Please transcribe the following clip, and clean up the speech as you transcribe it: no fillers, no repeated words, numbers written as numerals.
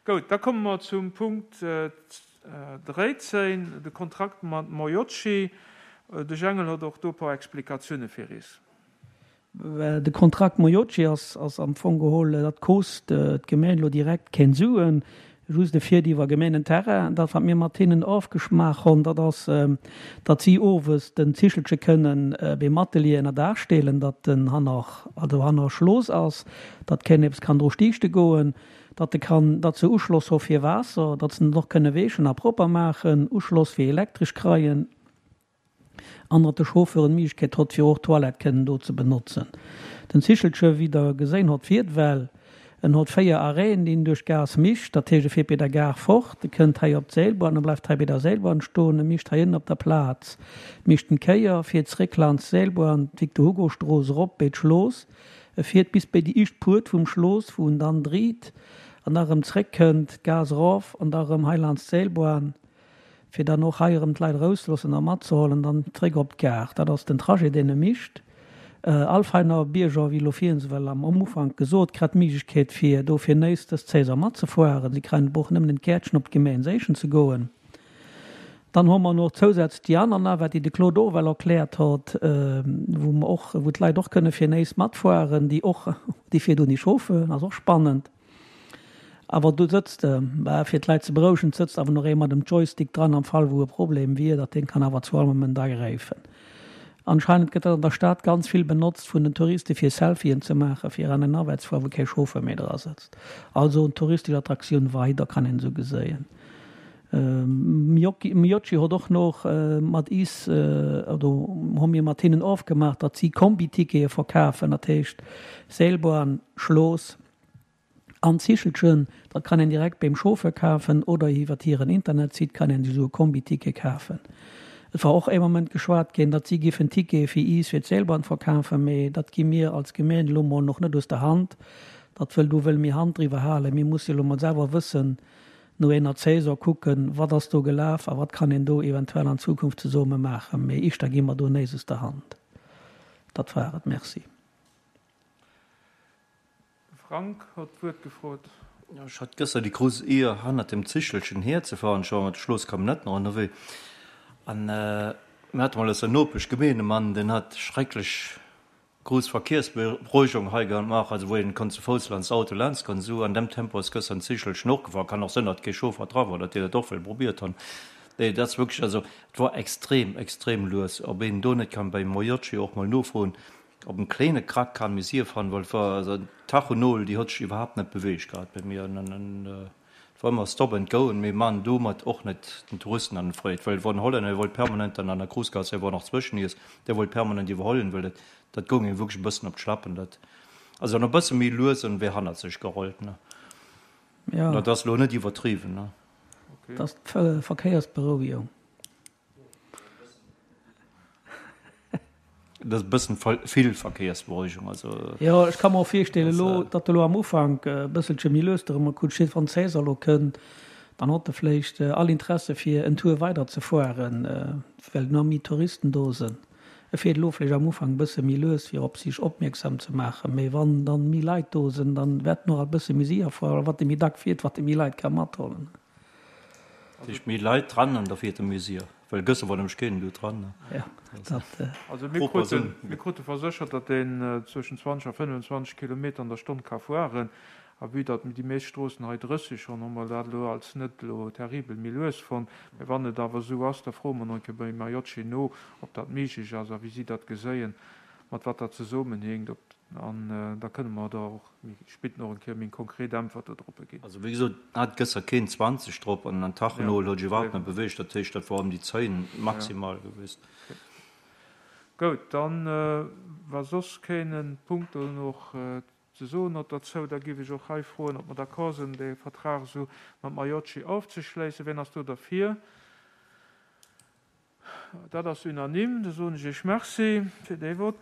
Goud, da komme mer zum Punkt 13, de Kontrakt mat Moiocchi. De Jengel hott och do e paar Explikatioune fir is. De Kontrakt Moiocchi ass am Fong geholl, dat kost d'Gemeen elo direkt keng Suen, just e fiert iwwer Gemeenenterrain. Dat wat mir mat hinnen ofgeschmaach honn, dat ass, datt si owes den Zichelche kënnen beim Atelier ënner Daach stelen, datt en hanner, also hanner Schloos ass, datt keen eppes kann dru stiichte goen. datt e kann, datt se Uschloss ho fir Waasser, datt se en och kënne weechen a propper maachen, Uschloss fir Elektresch kreien an datt de Chauffeur d'Méiglechkeet hott fir och d'Toilette kënnen do ze benotzen. Den Zichelche, wéi der geséin hott, fiert well. En hott 4 Arrêten, déi en duerch d'Gaass mischt. Dat heescht, e fiert bei der Gare fort, e kënnt hei op d'Seilbahn, e bleift hei bei der Seilbahn stoen, e mischt hei ënnen op der Plaz, mischt en Kéier, fiert zréck laanscht d'Seilbahn, d'Victor-Hugo-Strooss erop béi d'Schlooss, E fiert bis béi déi ischt Puert vum Schlooss, wou en dann driit an da rëm zréck kënnt, d'Gaass erof an da rëm hei laanscht d'Seilbahn, fir dann och hei erëm d'Leit erouszeloossen a matzeholen, dann zréck op d'Gare. Dat ass den Trajet, deen e micht. All Veiner Bierger, wéi elo virhin well am Ufank gesot, krétt d'Méiglechkeet fir do fir néis dës Saison matzefueren. Si kréien och nëmmen en Kärtchen op d'Gemeen séichen ze goen. Dann hu mer nach zousätzlech déi aner Navette, déi de Claude och ewell erkläert hott, wou mer och, wou d'Leit och kënne fir néis matfueren, déi och, déi fiert ouni Chauffeur, ass och spannend. Awer do sëtzt, bah, fir d'Leit ze berouegen, sëtzt awer nach ee mat em Joystick dran am Fall wou e Problem wier, datt deen kann awer zu all Moment agräifen. Anscheinend gëtt dat an der Stad ganz vill benotzt vun den Touriste fir Selfien ze maachen, fir an eng Navette ze fueren, wou kee Chauffeur méi dra sëtzt. Also en touristesch Attraktioun weider, kann een esou geséien. Miocchi hott och noch mat is, oder hu mir mat hinnen ofgemaach, datt si Kombi-Tickete verkafen, dat heescht Seilbahn, Schloos an Zichelchen. Dat kann een direkt beim Chauffeur kafen oder iwwert hiren Internetsite kann een sech esou e Kombi-Ticket kafen. Et war och ee Moment geschwat ginn, datt si giffen Tickete fir is fir d'Seilbahn verkafen, mee dat gi mir als Gemeen elo mol noch net aus der Hand. Dat wëll, do wëlle mir Hand driwwer halen. Mir musse elo mol selwer wëssen, no eener Saison kucken, wat ass do gelaf a wat kann een do eventuell an Zukunft zesomme maachen. Mee ischter gi mer do néis aus der Hand. Dat war et. Merci. De Frank hott d'Wuert gefrot. Ech hat gëschter déi grouss Eer, hannert dem Zichelchen hierzefahren. Ech war mat de Schlosscamionnetten och ënnerwee. An mir hate mol aus der Nopeschgemeen e Mann, deen hat schrecklech Grouss Verkiersberuegung hei gemaach, also wou een konnt zu Fouss laanscht Auto laanscht goen. Esou an dem Tempo ass gëschter den Zichelchen och gefahr. Kann och sënn, datt kee Chauffer dra war, datt déi dat och wëll probiert hunn. Nee, dat ass wierklech, also et war extrem, extrem lues. Ob een do net kann beim Moiocchi och mol nofroen, ob en kléine Krack kann méi sief han, well et war, also d'Tachonol, déi hott sech iwwerhaapt net beweegt gehat bei mir. An Et war ëmmer Stop and Go, an mir maan domat och net den Touristen an Freed, well et wor en Hollänner, dee wollt permanent dann an der Cruisegasse, dee wor nach zwëschen iis, dee wollt permanent iwwerhollen, well dat, dat goung him wierklech e bëssen op d'Schlappen. Dat ass dann e bësse méi lues an wär hannert sech gerollt, ne? Ja. Dat ass elo net iwwertriwwen, ne? Dat ass d'Verkéiersberouegung. Dat ass e bëssen vill Verkéiersberouegung, also. Jo, ech ka mer och virstellen elo, datt elo am Ufank e bësselche méi lues dorëmmer kutscht. Wann d'Saison elo kënnt, dann hott e vléicht all Interesse fir en Tour weider ze fueren, well nach méi Touristen do sënn. E fiert elo vléicht am Ufank e bësse méi lues, fir op sich opmierksam ze maachen, mee wann dann méi Leit do sënn, dann wäert en och alt e bësse méi séier fueren, well wat e méi dack fiert, wat e méi Leit ka mathollen. Dat heescht méi Leit dran an da fiert e méi séier, well gëschter war nämlech keen do dran. Ja, dat. Also mir kruten, mir krute verséchert, datt een zwëschen 20 a 25 Kilometer an der Stonn ka fueren. A vue datt déi meescht Stroossen hei 30 hunn, hu mer dat elo als net elo terribel méi lues fonnt. Mä wann et awer esou ass, da froe mer nach eng Kéier beim Majocchi no, ob dat méiglech ass a wéi si dat geséien, mat wat dat zesummenhänkt, ob, an da kënne mer da och méi spit nach eng Kéier méi konkret Äntwert dodroppe ginn. Also wéi gesot, hat gësser keen 20 drop an an Tachenol huet sech iwwerhaapt net beweegt, dat heescht dat war ëm déi 10 maximal gewiescht. Goud, dann wa soss keen e Punkt do nach ze soen hott derzou, da giff ech och hei froen, ob mer d'accord sinn, dee Vertrag esou mat Maiocchi ofzeschléissen. Wien ass do derfir? Dat ass unanime. Da soen ech Iech Merci fir dee Vott.